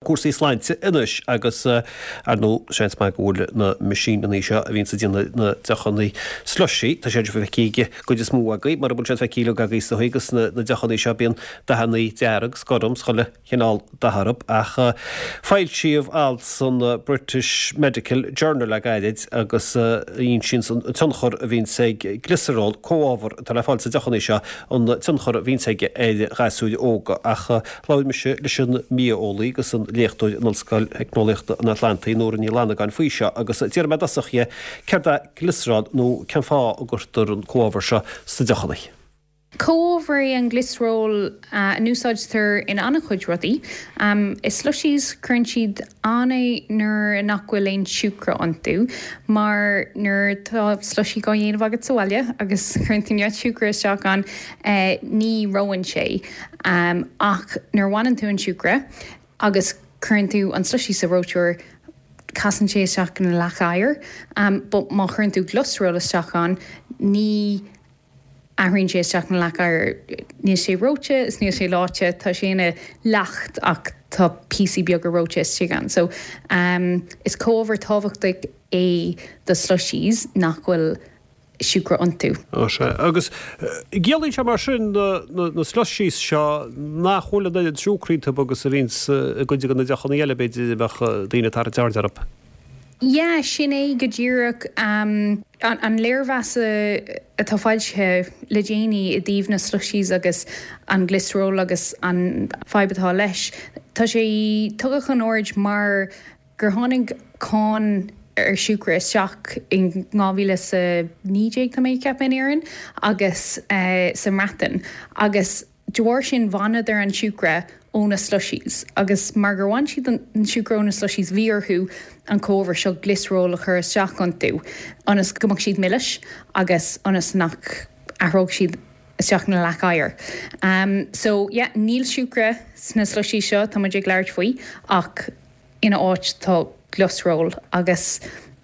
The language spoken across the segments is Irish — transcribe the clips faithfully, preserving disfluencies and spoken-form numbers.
Cúrsaí sláinte anois agus ar ndóigh seans maith go bhfuil na meaisíneanna seo a bhíonns ag déanamh na deochanna slushy, tá siad feicthe ag an gcuid is mó agaibh, mura bhfuil siad feicthe agaibh is dóigh agus na deochanna seo bíonn dathanna dearg 's gorm 's chuile chineál dath orthu ach foilsíodh alt san British Medical Journal le gairid agus a insíonns an tionchar a bhíonns ag glioserol, comhábhar atá le fáil sa deochanna seo, an tionchar a bhíonns aige ar ghasúir óga ach labhair mise leis an mbia-eolaí agus an léachtóir in Ollscoil Theicneolaíochta an Atlantaigh, Nóra Ní Fhlannagáin faoi seo agus d'iarr mé i dtosach dhi céard é glioserol nó cén fáth a gcuirtear an comhábhar seo sna deochanna. Comhábhar é an glioserol a n-úsáidtear in an-chuid rudaí. I slushies cuireann siad ann é nuair nach bhfuil aon siúcra iontu, mar nuair atá slushie á dhéanamh agat sa bhaile agus cuireann tú neart siúcra isteach ann, ní reonn sé. Ach nuair a bhaineann tú an siúcra agus cuireann tú an slushie sa reoiteoir, casann sé isteach ina leac oighir. But má chuireann tú glioserol isteach ann, ní athraíonn sé isteach ina leac oighir. Níl sé reoite is níl sé leáite, tá sé ina leacht ach tá píosaí beaga reoite istigh ann. So is comhábhar tábhachtach é do slushies nach bhfuil siúcra iontu. Ó sea. Agus ciallaíonn sé mar sin na slushies seo nach bhfuil an oiread siúcra iontu agus a bhíonns i gcuid de na deochanna eile b'fhéidir a mbeadh daoine ag tarraingt aird orthu? Yeah, sin é go díreach. An léirmheas atá foilsithe le déanaí i dtaobh na slushies agus an glioserol agus an fadhb atá leis, tá sé tugtha chun aird mar gur tháinig cáin ar siúcra isteach in dhá mhíle is a naoi déag, tá mé ag ceapadh, in Éirinn agus sa mBreatain agus de bharr sin bhaineadar an siúcra ó na slushies agus mar gur bhain siad an siúcra ó na slushies bhí orthu an comhábhar seo glioserol a chur isteach iontu ionas go mbeadh siad milis agus ionas nach athródh siad isteach ina leac oighir. So yeah, níl siúcra sna slushies seo tá muid ag labhairt faoi ach ina áit tá glioserol agus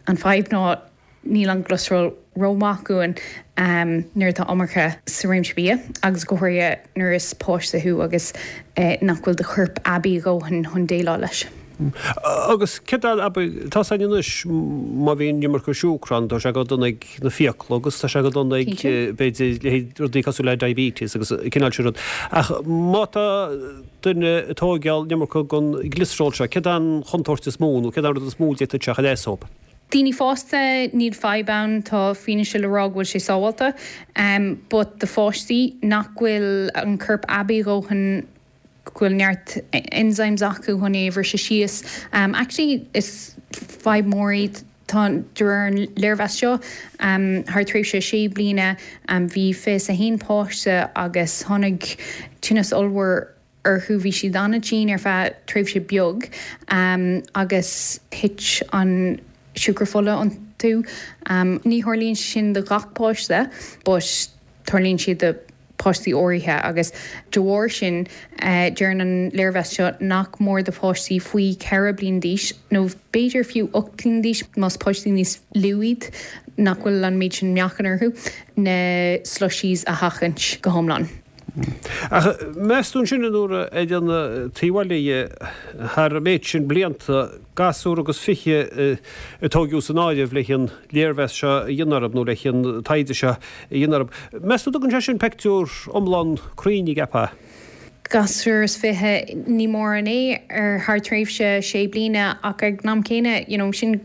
an fadhb ná níl an glioserol rómhaith dúinn nuair atá iomarca sa réimse bia agus go háirithe nuair is páiste thú agus nach bhfuil do chorp aibí a dhóthain chun déileáil leis. Agus céard é, tá a fhios againn anois má bhíonn iomarca siúcra ann tá sé go dona ag na fiacla agus tá sé go dona ag b'fhéidir leithéid rudaí cosúil le diabetes agus an cineál sin rud. Ach má tá duine ag tóigeáil an iomarca den glioserol seo, céard é an chontúirt is mó nó céard é an rud is mó a d'fhéadfadh sé a chur as dóibh? Daoine fásta, níl fadhb ann, tá fianaise le rá go bhfuil sé sábháilte. But do pháistí nach bhfuil an corp aibí a dhóthain, go bhfuil neart enzymes acu chun é a bhriseadh síos, actually is fadhb mhór í, tá, de réir an léirmheas seo, thar tréimhse sé bliana bhí fiche is a haon páiste agus tháinig tinneas ollmhór orthu. Bhí siad an-tinn ar feadh tréimhse beag agus thit an siúcra fola iontu. Ní tharlaíonn sé sin do ghach páiste but tarlaíonn sé do páistí áirithe agus de bharr sin deireann an léirmheas seo nach mór do pháistí faoi cheithre bliana d'aois nó b'fhéidir fiú ocht bliana d'aois más páistí níos lú iad nach bhfuil an méid sin meáchan orthu, na slushies a sheachaint go hiomlán. Ach meas tú ansin, a Nóra, ar an taobh eile dhe, thar an méid sin blianta, gasúr agus fiche a tóigeadh san áireamh le an léirmheas seo a dhéanamh orthu, nó le an taighde seo a dhéanamh orthu, meas tú dtugann sé sin peictiúr iomlán cruinn, an gceapfá? Gasúr is fiche, ní mórán é ar thar tréimhse sé bliana ach ag an am céanna, you know, sin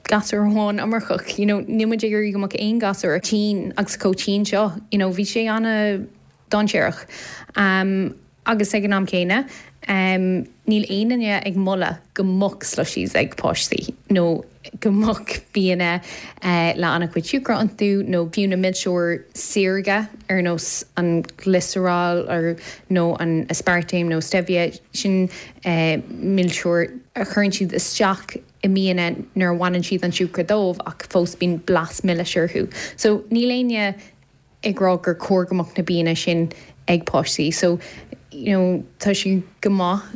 gasúr amháin iomarcach, you know, níl muid ag iarraidh go mbeadh aon gasúr tinn agus chomh tinn seo, you know, bhí sé ana. dainséarach. Agus ag an am céanna, níl aon duine ag moladh go mbeadh slushies ag páistí nó go mbeadh bianna le an-chuid siúcra iontu nó fiú na milseoir saorga ar nós an glioserol nó an aspartame nó stevia, sin milseoir a chuireann siad isteach i mbianna nuair a bhaineann siad an siúcra dóibh ach fós bíonn blas milis orthu. So níl éinne ag rá gur chóir go mbeadh na bianna sin ag páistí. So, you know, tá sé go maith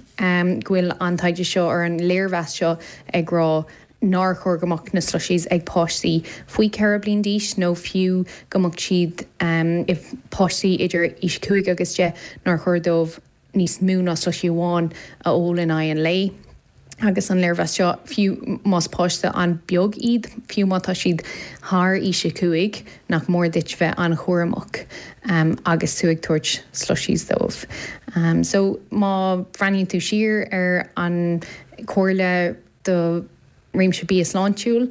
go bhfuil an taighde seo or an léirmheas seo ag rá nár chóir go mbeadh na slushies ag páistí faoi ceithre bliain d'aois nó fiú go mbeadh siad, if páistí idir aois cúig agus deich, nár chóir dóibh níos mó ná slushie amháin a ól in aghaidh an lae. Agus an léirmheas seo, fiú más páiste an-bheag iad, fiú má tá siad thar aois a cúig, nach mór duit bheith an-chúramach agus tú ag tabhairt slushies dóibh. So má bhreathnaíonn tú siar ar an comhairle do réimse bia sláintiúil,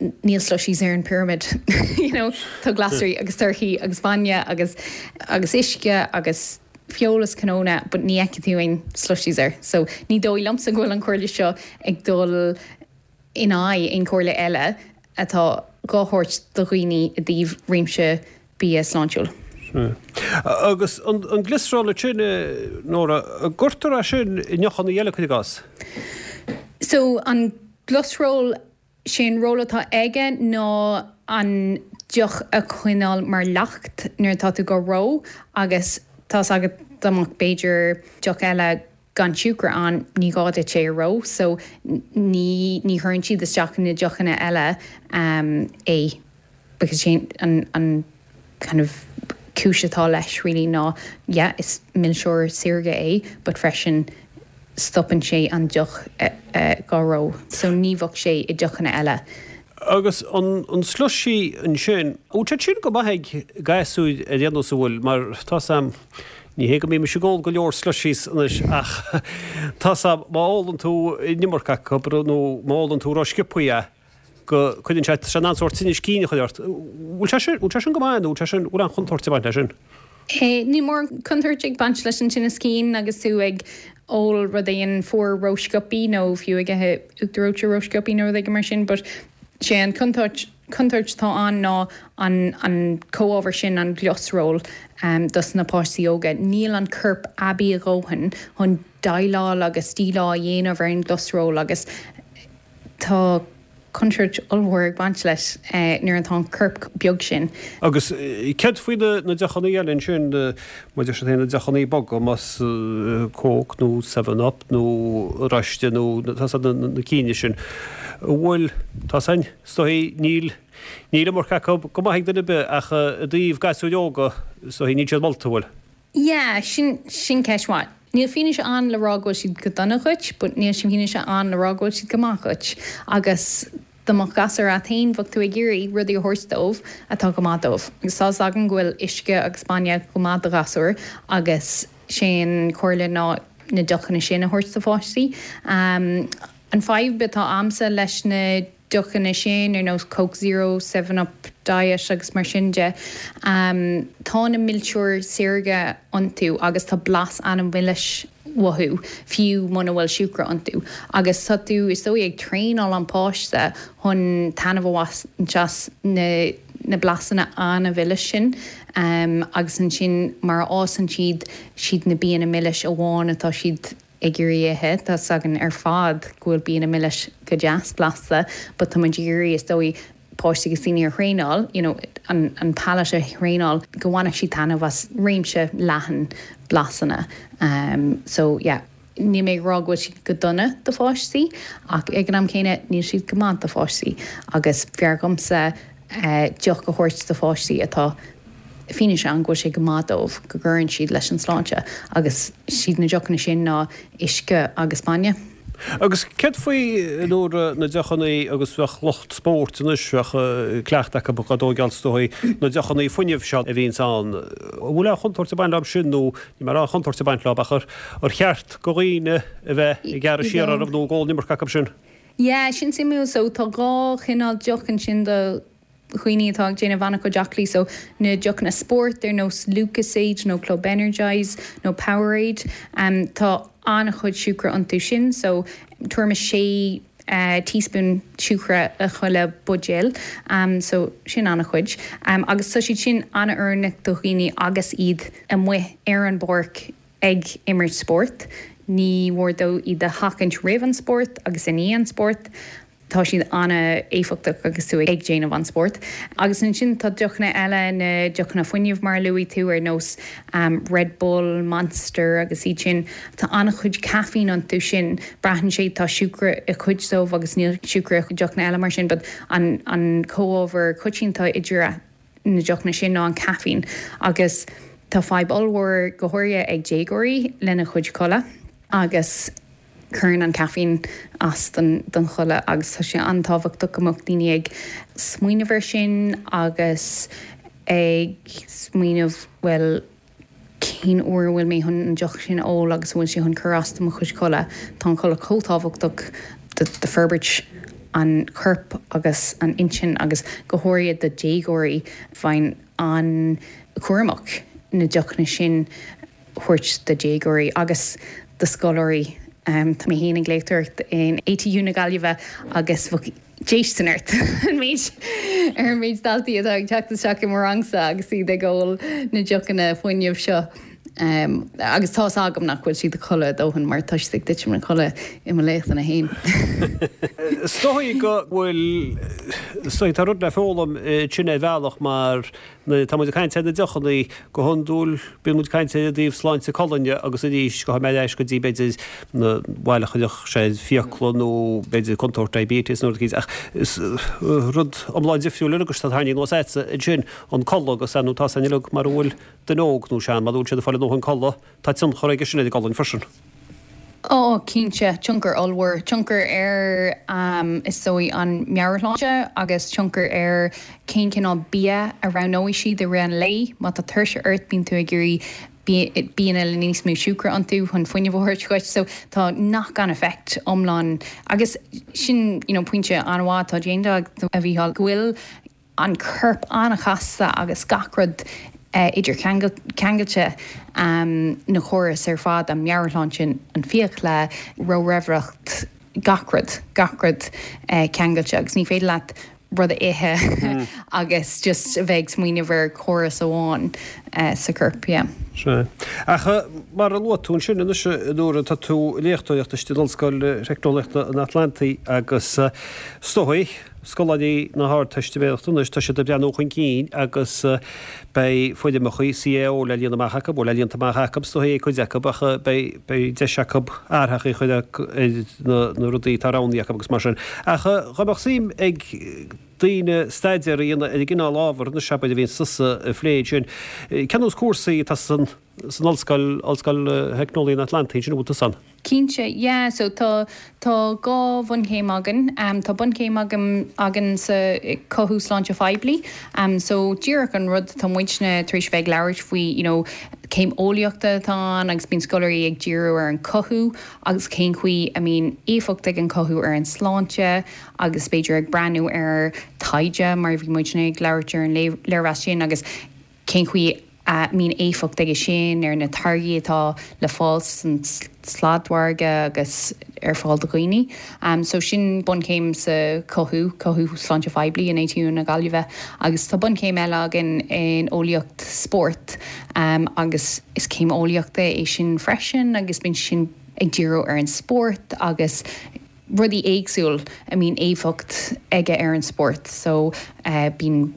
níl slushies ar an pyramid. You know, tá glasraí agus torthaí agus bainne agus agus uisce agus feoil is cnónna, but ní fheicfidh tú aon slushies air. So ní dóigh liomsa go bhfuil an comhairle seo ag dul in aghaidh aon chomhairle eile atá dhá thabhairt do dhaoine i dtaobh réimse bia sláintiúil. Agus an an gliosról sin, Nóra, an gcuirtear é sin i ndeochanna eile cuir i gcás? So an gliosról sé an ról atá aige ná an deoch a choinneáil mar leacht nuair atá tú dhá reo agus tá's agat dá mbeadh b'fhéidir deoch eile gan siúcra ann ní gá duit é a reo so ní ní chuireann siad isteach na deochanna eile um, é because sé an, an kind of cúis atá leis really ná yeah, is milseoir saorga é but freisin stopann sé an deoch dhá reo, so ní bheadh sé i deochanna eile. Agus an an slushie ansin, bhfuil sé sin go maith ag gasúir ar aon nós an bhfuil, mar tá's a'm, ní hé go mbímis ag ól go leor slushies anois ach tá's a'm má ólann tú an iomarca acu nó má ólann tú ró-sciobthaí é go cuireann sé, tá sé in ann sórt tinneas cinn a chur ort. Bhfuil sé sin, bhfuil sé sin go maith nó bhfuil sé sin, bhfuil aon chontúirt ag baint leis sin? Níl mórán contúirt ag baint leis an tinneas cinn agus tú ag ól rud éigin fuar rósciobthaí nó fiú ag ithe uachtar reoite rósciobthaí nó rud éigin mar sin but sé an contúirt contúirt atá ann ná an an comhábhar sin an gliosról um, dos na páistí óga. Níl an corp aibí a dhóthain chun déileáil agus díleá a dhéanamh ar an gliosról agus tá contúirt ollmhór ag baint leis nuair atá an corp beag sin. Agus céard faoi na deochanna eile ansin, mar deir siad féin, na deochanna boga, más Coke nó Seven Up nó oráiste nó na cinn sin, an bhfuil, tá san, is dóigh, níl, níl iomarca acu go maith ag duine ar bith ach i dtaobh gasúir óga, is dóigh, níl siad molta, an bhfuil? Yeah, sin, sin ceist mhaith. Níl fianaise ann le rá go bhfuil siad go dona dhuit, but níl fianaise ann le rá go bhfuil siad go maith dhuit. Agus dá mbeadh gasúr agat féin, bheadh tú ag iarraidh rudaí a thabhairt dóibh atá go maith dóibh. Agus tá's againn go bhfuil uisce agus bainne go maith do ghasúir agus sé an chomhairle ná na deochanna sin a thabhairt do pháistí. An fadhb atá a'msa leis na deochanna sin, ar nós Coke Zero, Seven Up Diet agus mar sin de, tá na milseoir saorga iontu agus tá blas an-mhilis uathu, fiú muna bhfuil siúcra iontu. Agus tá tú, is dóigh, ag traenáil an páiste chun taitneamh a bhaint as na na blasanna an-mhilis sin agus ansin mar a fhásann siad, siad na bianna milis amháin atá siad ag iarraidh ithe. Tá's againn ar fad go bhfuil bianna milis go deas blasta but tá muid ag iarraidh is dóigh páistí agus daoine a thraenáil, you know an an palate a thraenáil go bhainfeadh siad taitneamh as réimse leathan blasanna. Um so yeah níl mé ag rá go bhfuil siad go dona do pháistí ach ag an am céanna níl siad go maith do pháistí agus b'fhearr dhomsa deoch a thabhairt do pháistí atá fianaise ann go bhfuil sé go maith dóibh, go gcuireann siad leis an sláinte agus siad na deochanna sin ná uisce agus bainne. Agus céard faoi nuair na deochanna agus bheadh lucht spóirt anois, bheadh cleachtadh acu dhá dtóigeáil is dóigh, na deochanna fuinnimh seo a bhíonns ann, an bhfuil aon chontúirt ag baint leo sin nó ní mar aon chontúirt ag baint leo ach ar cheart go dhaoine a bheith ag gearradh siar orthu nó ag ól an iomarca acu sin? Yeah, sin suimiúil. So tá dhá chineál deoch ansin do dhaoine atá ag déanamh an-chuid aclaí so na deochanna spóirt ar nós Lucozade nó Club Energize nó Powerade tá an-chuid siúcra iontu sin so tuairim is sé teaspoon siúcra i chuile buidéal so sin an-chuid agus tá siad sin an-oiriúnach do dhaoine agus iad amuigh ar an bpáirc ag imirt spóirt. Ní mhór dó iad a sheachaint roimh an spórt agus i ndiaidh an spóirt. Tá siad an-éifeachtach agus tú ag déanamh an spóirt. Agus ansin tá deochanna eile, na deochanna fuinnimh mar a luaigh tú, ar nós Red Bull, Monster agus iad sin. Tá an-chuid caifín iontu sin. Braitheann sé, tá siúcra i cuid dóibh agus níl siúcra i deochanna eile mar sin but an an comhábhar coitianta idir na deochanna sin ná an caifín. Agus tá fadhb ollmhór go háirithe ag déagóirí lena chuid codladh agus. Cuireann an caiféin as don, don chodladh agus tá sé an-tábhachtach go mbeadh daoine ag smaoineamh air sin agus ag smaoineamh bhuel cén uair a bhfuil mé chun an deoch sin a ól agus bhfuil sé chun cur as do mo chuid codladh. Tá an codladh chomh tábhachtach do, do forbairt an choirp agus an intinn agus go háirithe do déagóirí bheinn an-chúramach na deochanna sin a thabhairt do déagóirí agus do scoláirí. Um, tá mé féin ag léachtóireacht in ATU na Gaillimhe agus bheadh déistin ort an méid ar an méid daltaí atá ag teacht isteach i mo rangsa agus iad ag ól na deochanna fuinnimh seo. Um, agus tá agam nach bhfuil siad ag codladh a ndóthain mar tá siad ag titim ina gcodladh i mo léachtanna féin. Is dóigh go bhfuil tá rud le foghlaim sin ar bhealach mar tá muid ag caint ar na deochanna go hiondúil bíonn muid ag caint i dtaobh sláinte colainne agus arís go mbeidh go dtí b'fhéidir na bhaile chuideach sé fiacla nó b'fhéidir contúirt diabetes nó rud ach is rud iomlán difriúil agus tá tharraing anuas ansin an codladh agus nó tá san uilig mar bhfuil duine óg nó sean mar bhfuil siad ag fáil a ndóthain codladh tá tionchar aige sin ar an gcolainn freisin. Ó cinnte tionchar ollmhór tionchar ar um, is dóigh an meabhairshláinte agus tionchar ar cén cineál bia a roghnóidh siad i rith an lae má tá tuirse ort bíonn tú ag iarraidh bianna le níos mó siúcra iontu chun fuinneamh a thabhairt duit so tá knock on effect iomlán agus sin you know, pointe an-mhaith atá déanta a Mhícheáil go bhfuil an corp an-chasta agus gach rud uh, idir ceangailte um, na córas ar fad an meabhairshláinte an fiacla ró-raimhreacht gach rud gach rud uh, ceangailte agus ní féidir leat rud a ithe mm. agus just a bheith smaoineamh ar córas amháin uh, sa corp. Yeah. Sé. Ach mar a luaigh tú sin anois nuair tá tú léachtóireacht istigh in Ollscoil Teicneolaíochta an Atlantaigh agus is dóigh scoláirí na hArdteistiméireachta anois tá siad ag breathnú chun cinn agus beidh foirmeacha CAO le líonadh amach acu le líonta amach acu is dóigh cuid acu ach beidh beidh deis acu athraitheacha a chur ar na rudaí atá roghnaithe acu agus mar sin. Ach dá mbeadh suim ag daoine staidéar a dhéanamh ar an gcineál ábhar na seabair a bhíonn tusa ag plé sin. Cén nós cúrsaí atá san san ollscoil Ollscoil Theicneolaíochta an Atlantaigh sin bhfuil tú san? Cinnte, yeah, so tá tá dhá bhunchéim againn, um, tá bunchéim agam againn sa cothú sláinte phoiblí, um, so díreach an rud tá muidne tar éis bheith ag labhairt faoi you know, céim eolaíochta atá ann agus bíonn scoláirí ag díriú ar an cothú agus cén chaoi a mbíonn éifeacht ag an cothú ar an sláinte agus b'fhéidir ag breathnú ar taighde mar bhí muidne ag labhairt ar an léirmheas sin agus cén chaoi a mbíonn éifeacht aige sin ar na táirgí atá le fáil san sladmhargadh agus ar fáil do dhaoine. Um, so sin bunchéim sa cothú cothú sláinte phoiblí in ATU na Gaillimhe agus tá bunchéim eile againn in eolaíocht spóirt um, agus is céim eolaíochta é sin freisin agus bíonn sin ag díriú ar an spórt agus rudaí éagsúil a mbíonn éifeacht aige ar an spórt so uh, bíonn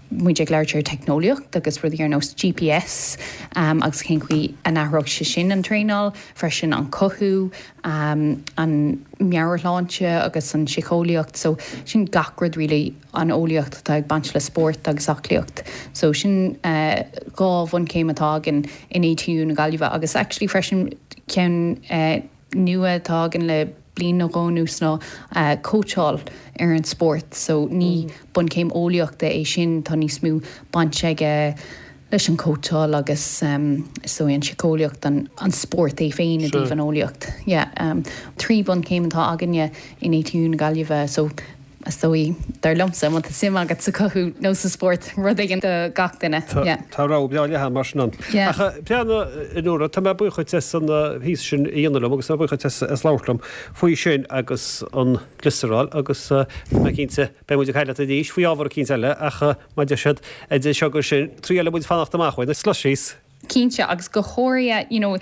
muid ag labhairt ar teicneolaíocht agus rudaí ar nós GPS um, agus cén chaoi a n-athródh sé sin an traenáil, freisin an cothú, um, an meabhairshláinte agus an síceolaíocht, so sin gach rud really an eolaíocht atá ag baint le spórt agus aclaíocht. So sin uh, dhá bhunchéim atá againn in ATU na Gaillimhe agus actually freisin ceann uh, nua atá againn le bliain nó dhó anuas ná uh, cóitseáil ar an spórt, so ní mm. bunchéim eolaíochta é sin tá níos mó baint aige leis an cóitseáil agus um, so an síceolaíocht an, an spórt é féin i dtaobh an eolaíocht. Yeah, um, trí bunchéim atá againne in ATU na Gaillimhe, so is dóigh dar liomsa má tá suim agat sa cothú nó sa spórt rud éigin do gach duine. Tá rogha breá leathan mar sin ann. Ach breathnaigh Nóra tá mé buíoch as an píosa sin a dhéanamh liom agus tá buíoch as as labhairt liom faoi sin agus an gliosaráil agus mé cinnte beidh muid ag caint leat arís faoi ábhar eicínt eile ach má deir siad idir seo go sin trí eile muid fanacht amach uaidh na slushies. Cinnte agus go háirithe you know,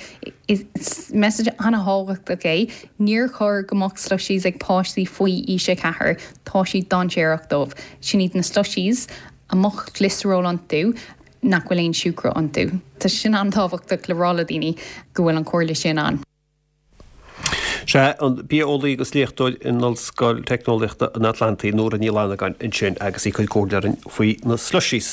is message an-thábhachtach é, níor chóir go mbeadh slushies ag páistí faoi aois a ceathair, tá siad dainséarach dóibh. Sin iad na slushies a mbeadh gliosaról iontu nach bhfuil aon siúcra iontu. Tá sin an-tábhachtach le rá le daoine go bhfuil an chomhairle sin ann. Sé an bia-eolaí agus léachtóir in Ollscoil Teicneolaíochta an Atlantaigh Nóra Ní Fhlannagáin ansin agus í ag cur comhairle orainn faoi na slushies.